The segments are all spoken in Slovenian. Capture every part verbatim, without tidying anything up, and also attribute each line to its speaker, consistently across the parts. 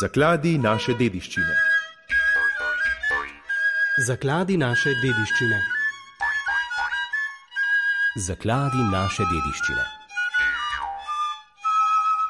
Speaker 1: Zakladi naše dediščine.
Speaker 2: Zakladi naše dediščine.
Speaker 3: Zakladi naše dediščine.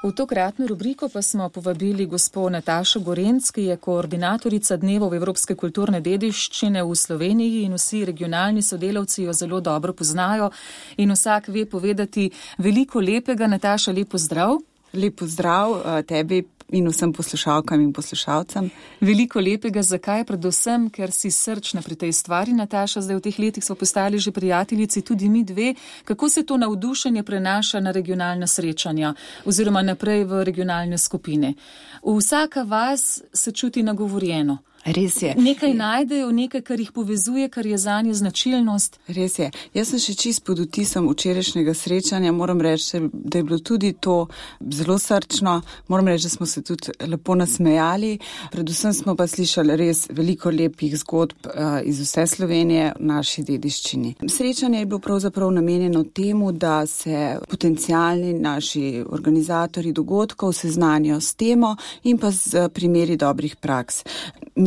Speaker 4: V tokratno rubriko pa smo povabili gospo Natašo Gorenc, ki je koordinatorica Dnevov evropske kulturne dediščine v Sloveniji in vsi regionalni sodelavci jo zelo dobro poznajo in vsak ve povedati veliko lepega. Nataša, lep pozdrav.
Speaker 5: Lep pozdrav tebi in vsem poslušalkam in poslušalcem.
Speaker 4: Veliko lepega, zakaj? Predvsem, ker si srčna pri tej stvari, Nataša. Zdaj v teh letih smo postali že prijateljici, tudi mi dve. Kako se to navdušenje prenaša na regionalna srečanja oziroma naprej v regionalne skupine? Vsaka vas se čuti nagovorjeno.
Speaker 5: Res je.
Speaker 4: Nekaj najdejo, nekaj, kar jih povezuje, kar je zanje značilnost.
Speaker 5: Res je. Jaz sem še čist pod vtisom včerajšnjega srečanja. Moram reči, da je bilo tudi to zelo srčno. Moram reči, da smo se tudi lepo nasmejali. Predvsem smo pa slišali res veliko lepih zgodb uh, iz vse Slovenije v naši dediščini. Srečanje je bilo pravzaprav namenjeno temu, da se potencialni naši organizatorji dogodkov seznanijo s temo in pa z primeri dobrih praks.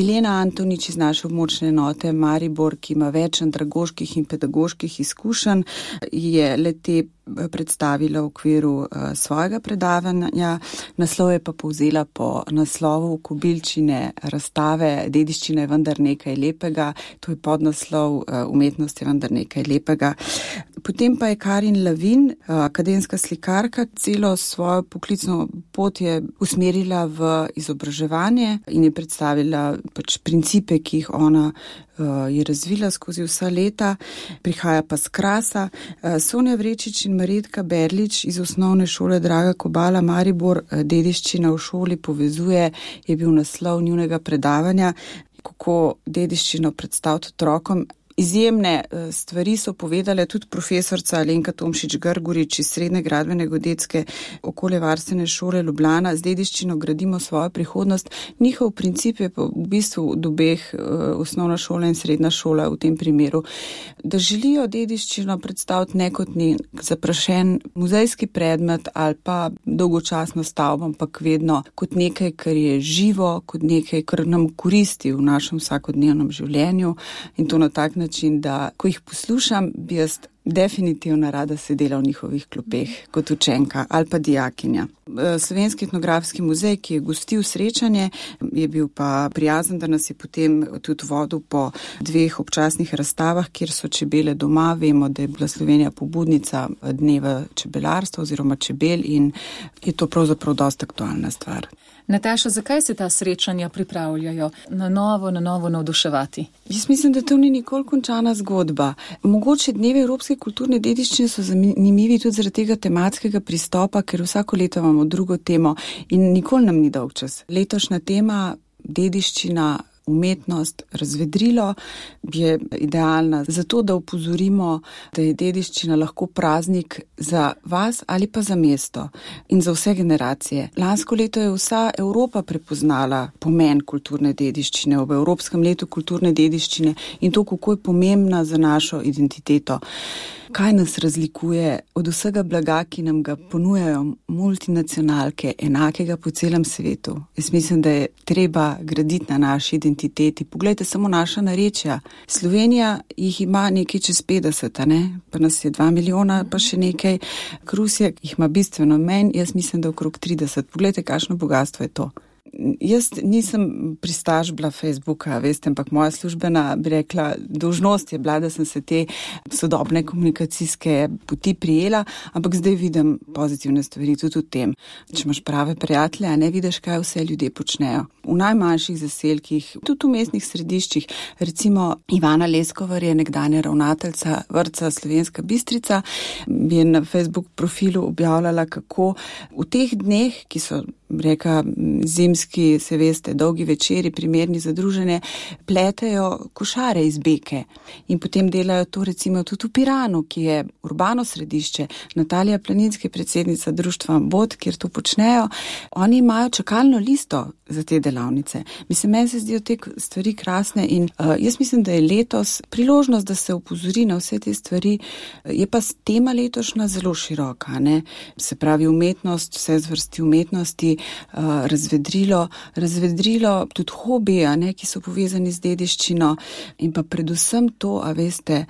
Speaker 5: Milena Antonič iz naše območne enote Maribor, ki ima več andragoških in pedagoških izkušenj, je le-te predstavila v okviru uh, svojega predavanja. Naslov je pa povzela po naslovu Kobilčine razstave Dediščina je vendar nekaj lepega. To je podnaslov uh, Umetnost je vendar nekaj lepega. Potem pa je Karin Lavin, uh, akademska slikarka, celo svojo poklicno pot je usmerila v izobraževanje in je predstavila pač principe, ki jih ona je razvila skozi vsa leta, prihaja pa z Krasa. Sonja Vrečič in Marjetka Berlič iz osnovne šole Draga Kobala Maribor dediščina v šoli povezuje, je bil naslov njunega predavanja, kako dediščino predstaviti otrokom. Izjemne stvari so povedale tudi profesorca Alenka Tomšič-Grgurič iz Srednje gradbeno-geodetske okoljevarstvene šole Ljubljana. Z dediščino gradimo svojo prihodnost. Njihov princip je pa v bistvu od obeh osnovna šola in srednja šola v tem primeru, da želijo dediščino predstaviti ne kot nek zaprašen muzejski predmet ali pa dolgočasno stavbo, ampak vedno kot nekaj, kar je živo, kot nekaj, kar nam koristi v našem vsakodnevnem življenju in to na tak način, način, da ko jih poslušam, bi jaz definitivno rada sedela v njihovih klopeh kot učenka ali pa dijakinja. Slovenski etnografski muzej, ki je gostil srečanje, je bil pa prijazen, da nas je potem tudi vodil po dveh občasnih razstavah, kjer so čebele doma. Vemo, da je bila Slovenija pobudnica dneva čebelarstva oziroma čebel in je to pravzaprav dosta aktualna stvar.
Speaker 4: Nataša, zakaj se ta srečanja pripravljajo na novo, na novo navduševati?
Speaker 5: Jaz mislim, da to ni nikoli končana zgodba. Mogoče dnevi evropske kulturne dediščine so zanimivi tudi zaradi tega tematskega pristopa, ker vsako leto imamo drugo temo in nikoli nam ni dolg čas. Letošnja tema dediščina, umetnost, razvedrilo je idealna zato, da opozorimo, da je dediščina lahko praznik za vas ali pa za mesto in za vse generacije. Lansko leto je vsa Evropa prepoznala pomen kulturne dediščine ob Evropskem letu kulturne dediščine in to, kako je pomembna za našo identiteto. Kaj nas razlikuje od vsega blaga, ki nam ga ponujajo multinacionalke, enakega po celem svetu? Jaz mislim, da je treba graditi na naši identiteti. Poglejte samo naša narečja. Slovenija jih ima nekaj čez petdeset, ne? Pa nas je dva milijona, pa še nekaj. Rusija jih ima bistveno manj, jaz mislim, da okrog trideset. Poglejte, kakšno bogatstvo je to. Jaz nisem pristaš bila Facebooka, veste, ampak moja službena, bi rekla, dolžnost je bila, da sem se te sodobne komunikacijske poti prijela, ampak zdaj vidim pozitivne stvari tudi v tem. Če imaš prave prijatelje, a ne vidiš, kaj vse ljudje počnejo. V najmanjših zaselkih, tudi v mestnih središčih, recimo Ivana Leskovar je nekdanja ravnateljica vrtca Slovenska Bistrica, je na Facebook profilu objavljala, kako v teh dneh, ki so reka zimski, se veste, dolgi večeri, primerni za druženje, pletejo košare iz beke in potem delajo to recimo tudi v Piranu, ki je urbano središče. Natalija Planinski, predsednica društva Bod, kjer to počnejo, oni imajo čakalno listo za te delavnice. Mislim, meni se zdijo te stvari krasne in uh, jaz mislim, da je letos priložnost, da se opozori na vse te stvari. Je pa tema letošnja zelo široka, ne? Se pravi umetnost, vse zvrsti umetnosti, uh, razvedrilo, razvedrilo tudi hobi, a ne, ki so povezani z dediščino in pa predvsem to, a veste,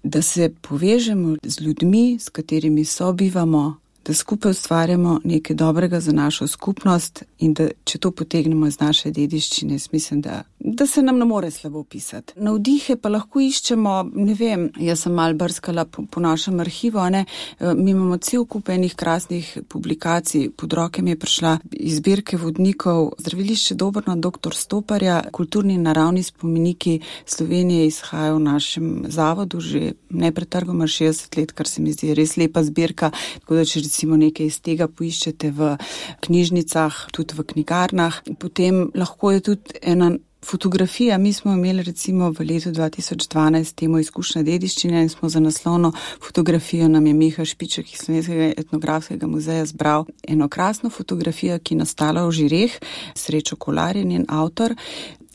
Speaker 5: da se povežemo z ljudmi, s katerimi sobivamo, da skupaj ustvarjamo nekaj dobrega za našo skupnost in da, če to potegnemo iz naše dediščine, mislim, da, da se nam ne more slabo pisati. Navdihe pa lahko iščemo, ne vem, jaz sem malo brskala po, po našem arhivu, ne, mi imamo cel kup enih krasnih publikacij, pod roke mi je prišla iz zbirke vodnikov Zdravilišče Dobrna doktor Stoparja, kulturni in naravni spomeniki Slovenije izhajajo v našem zavodu že nepretrgoma šestdeset let, kar se mi zdi res lepa zbirka, tako da če recimo nekaj iz tega poiščete v knjižnicah, tudi v knjigarnah. Potem lahko je tudi ena fotografija. Mi smo imeli recimo v letu dva tisoč dvanajst temo izkušnja dediščine in smo za naslovno fotografijo nam je Miha Špiček iz Slovenskega etnografskega muzeja zbral eno krasno fotografijo, ki je nastala v Žireh, Srečo Kolar je njen avtor.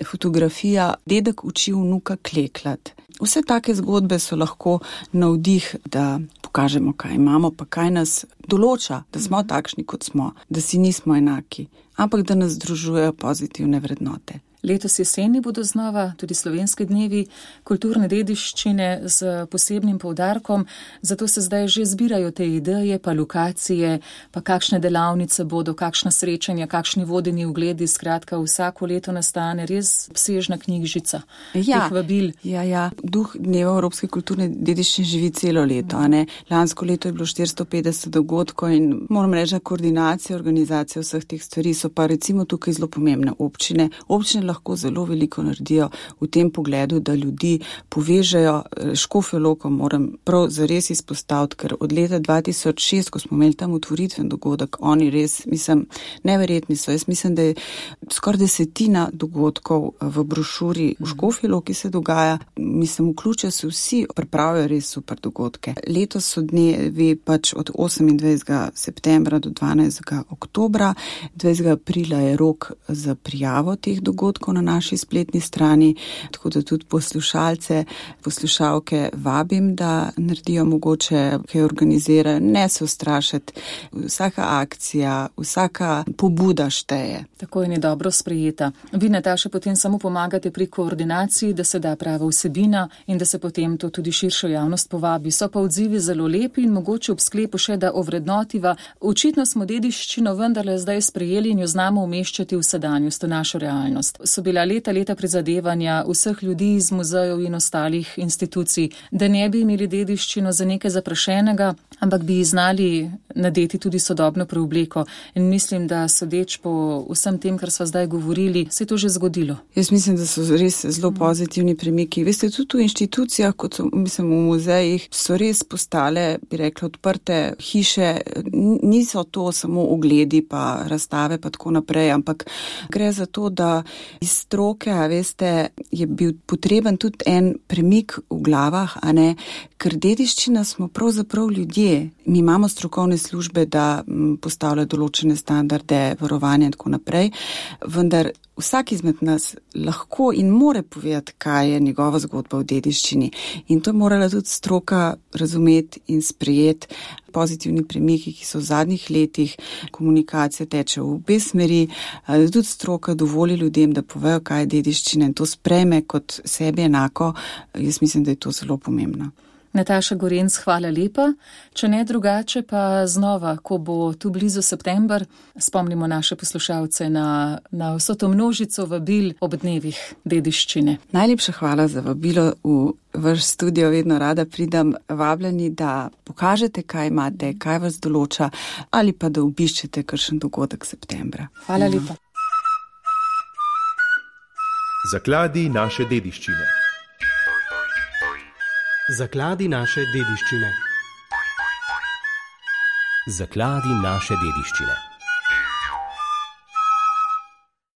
Speaker 5: Fotografija Dedek uči vnuka klekljat. Vse take zgodbe so lahko navdih, da pokažemo, kaj imamo, pa kaj nas določa, da smo takšni, kot smo, da si nismo enaki, ampak da nas združujejo pozitivne vrednote.
Speaker 4: Letos jeseni bodo znova tudi slovenski dnevi kulturne dediščine z posebnim poudarkom, zato se zdaj že zbirajo te ideje, pa lokacije, pa kakšne delavnice bodo, kakšna srečanja, kakšni vodeni ogledi, skratka vsako leto nastane res obsežna knjižica.
Speaker 5: Ja,
Speaker 4: teh vabil.
Speaker 5: Ja, ja, duh dneva Evropske kulturne dediščine živi celo leto, a ne. Lansko leto je bilo štiristo petdeset dogodkov in moram reči, da koordinacija, organizacija vseh teh stvari so pa recimo tukaj zelo pomembne občine. Občine lahko zelo veliko naredijo v tem pogledu, da ljudi povežejo. Škofjo Loko moram prav zares izpostaviti, ker od leta dva tisoč šest, ko smo imeli tam otvoritven dogodek, oni res, mislim, neverjetni so. Jaz mislim, da je skoraj desetina dogodkov v brošuri v Škofji Loki se dogaja. Mislim, vključijo se vsi, pripravijo res super dogodke. Letos so dnevi pač od osemindvajsetega septembra do dvanajstega oktobra. dvajsetega aprila je rok za prijavo teh dogodkov na naši spletni strani, tako da tudi poslušalce, poslušalke vabim, da naredijo mogoče, kaj organizirajo, ne se ustrašiti. Vsaka akcija, vsaka pobuda šteje.
Speaker 4: Tako in je dobro sprejeta. Vi, Nataša, potem samo pomagate pri koordinaciji, da se da prava vsebina in da se potem to tudi širšo javnost povabi. So pa odzivi zelo lepi in mogoče ob sklepu še, da ovrednotiva. Očitno smo dediščino vendarle zdaj sprejeli in jo znamo umeščati v sedanjost, v našo realnost. So bila leta, leta prizadevanja vseh ljudi iz muzejev in ostalih institucij, da ne bi imeli dediščino za nekaj zaprašenega, ampak bi znali nadeti tudi sodobno preobleko. In mislim, da sodeč po vsem tem, kar sva zdaj govorili, se je to že zgodilo.
Speaker 5: Jaz mislim, da so res zelo pozitivni premiki. Veste, tudi v inštitucijah, kot so, mislim, v muzejih, so res postale, bi rekla, odprte hiše. Niso to samo ogledi pa razstave pa tako naprej, ampak gre za to, da iz stroke, a veste, je bil potreben tudi en premik v glavah, a ne, ker dediščina smo pravzaprav ljudje. Mi imamo strokovne službe, da postavljajo določene standarde, varovanja in tako naprej, vendar vsak izmed nas lahko in more povedati, kaj je njegova zgodba v dediščini. In to je morala tudi stroka razumeti in sprejeti. Pozitivni premiki, ki so v zadnjih letih, komunikacija teče v obe smeri, da tudi stroka dovoli ljudem, da povejo, kaj je dediščina in to sprejme kot sebi enako. Jaz mislim, da je to zelo pomembno.
Speaker 4: Nataša Gorenc, hvala lepa. Če ne drugače, pa znova, ko bo tu blizu september, spomnimo naše poslušalce na, na vso to množico vabil ob dnevih dediščine.
Speaker 5: Najlepša hvala za vabilo v vaš studio, vedno rada pridem. Vabljeni, da pokažete, kaj imate, kaj vas določa, ali pa da obiščete kakšen dogodek septembra.
Speaker 4: Hvala ja. lepa.
Speaker 1: Zakladi naše dediščine.
Speaker 2: Zakladi naše dediščine.
Speaker 3: Zakladi naše dediščine.